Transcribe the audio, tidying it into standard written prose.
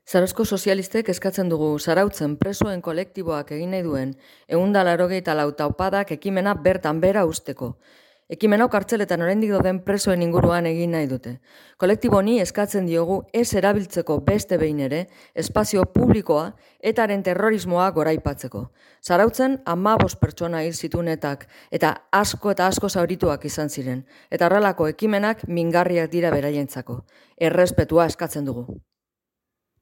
Zarauzko sozialistek eskatzen dugu Zarautzen presoen kolektiboak egin nahi duen 184 taupadak ekimena bertan behera uzteko. Ekimen hau kartzeletan oraindik dauden presoen inguruan egin nahi dute. Kolektibo honi eskatzen diogu ez erabiltzeko beste behin ere espazio publikoa etaren terrorismoa goraipatzeko. Zarautzen 15 pertsona hil zituenetak eta asko zaurituak izan ziren. Eta horrelako ekimenak mingarriak dira beraientzako. Errespetua eskatzen dugu.